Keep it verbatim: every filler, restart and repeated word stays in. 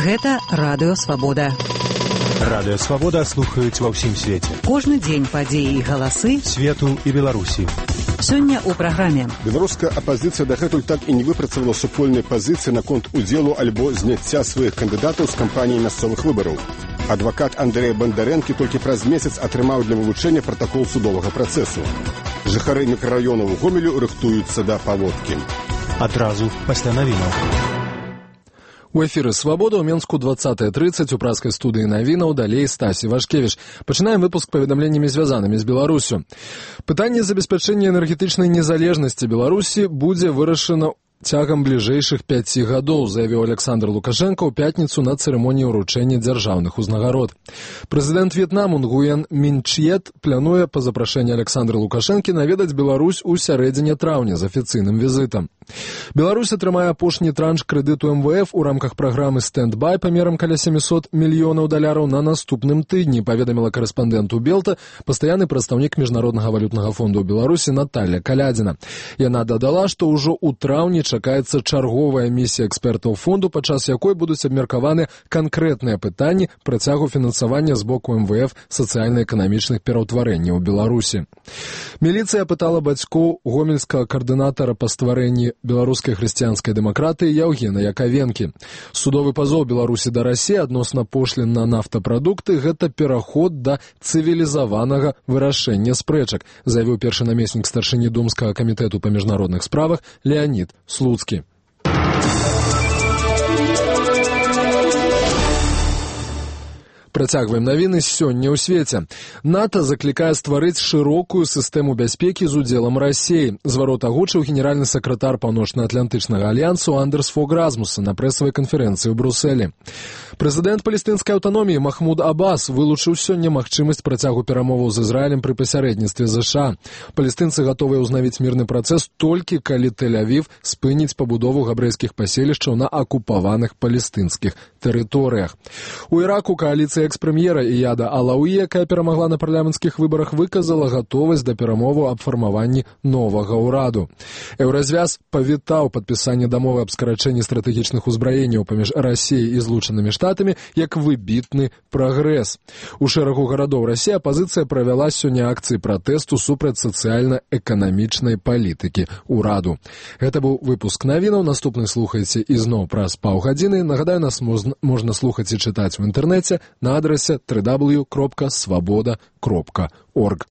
Гэта Радыё Свабода. Радыё Свабода слухаюць ва ўсім свеце. Кожны дзень падзеі і галасы свету і Беларусі. Сёння ў праграме. Беларуская апазіцыя дагэтуль так і не выпрацавала супольнай пазіцыі наконт удзелу альбо зняцця сваіх кандыдатаў з кампаніі мясцовых выбараў. Адвакат Андрэй Бандарэнкі толькі праз месяц атрымаў для вывучэння пратакол судовага працэсу. Жыхары мікрараёнаў Гомелю рыхтуюцца да паводкі. Адразу пасля навінаў. У эфіры «Свабода» ў Менску двадцатая трыццаць у праскай студыі навінаў, далей Стасі Вашкевіч. Пачынаем выпуск паведамленнямі, звязанымі з Беларусю. Пытанне забеспячэння энергетычнай незалежнасці Беларусі будзе вырашана цягам бліжэйшых пяці гадоў, заявіў Александр Лукашенко ў пятніцу на цырымоніі ўручэння дзяржаўных узнагарод. Прэзідэнт В'етнаму Нгуен Мін Чьет плануе па запрашэнні Александра Лукашэнкі наведаць Беларусь у сярэдзіне траўня з афіцыйным візітам. Беларусь атрымае апошні транш крэдыту эм вэ эф у рамках праграмы «Стэнд-бай» памерам каля сямісот мільёнаў даляраў на наступным тыдні, паведаміла карэспандэнту Белта пастаянны прадстаўнік Міжнароднага валютнага фонду ў Беларусі Наталья Калядзіна. Яна дадала, што ўжо ў траўні чакаецца чарговая місія экспертаў фонду, падчас якой будуць абмеркаваны канкрэтныя пытанні працягу фінансавання з боку эм вэ эф сацыяльна-эканамічных пераўтварэнняў у Беларусі. Міліцыя пытала бацькоў гомельскага каардынатара па стварэнні беларускай хрысціянскай дэмакратыі Яўгена Якавенкі. Судовы пазоў Беларусі да Расіі адносна пошлін на нафтапрадукты – гэта пераход да цывілізаванага вырашэння спрэчак, заявіў першы намеснік старшыні Думскага камітэту па міжнародных справах Леонід Слуцкі. Працягваем навіны сёння ў свеце. НАТО заклікае стварыць шырокую сістэму бяспекі з удзелам Расіі. Зварот агучыў генеральны сакратар Паўночна-Атлантычнага альянсу Андерс Фог Расмуссен на прэсавай канферэнцыі ў Брусэлі. Прэзідэнт палестынскай аўтаноміі Махмуд Аббас вылучыў сёння магчымасць працягу перамоваў з Ізраілем пры пасярэдніцтве ЗША. Палестынцы гатовыя ўзнавіць мірны працэс толькі калі Тель-Авів спыніць пабудову габрэйскіх паселішчаў на акупаваных палестынскіх тэрыторыях. У Іраку кааліцыя экс-прэм'ера Ияда Алауі, якая перамагла на парламенцкіх выбарах, выказала гатовасць да перамоваў аб фармаванні новага ўраду. Еўразвяз павітаў падпісанне дамовы аб скарачэнні стратэгічных узбраенняў паміж Расіяй і Злучанымі Штатамі як выбітны прагрэс. У шэрагу гарадоў Расіі апазіцыя правяла сёння акцыі пратэсту супраць сацыяльна-эканамічнай палітыкі ўраду. Гэта быў выпуск навінаў. Наступны слухайце ізноў праз паўгадзіны. Нагадаю, нас можна слухаць і чытаць у інтэрнэце на адрасе дабл ю дабл ю дабл ю кропка свабода кропка орг.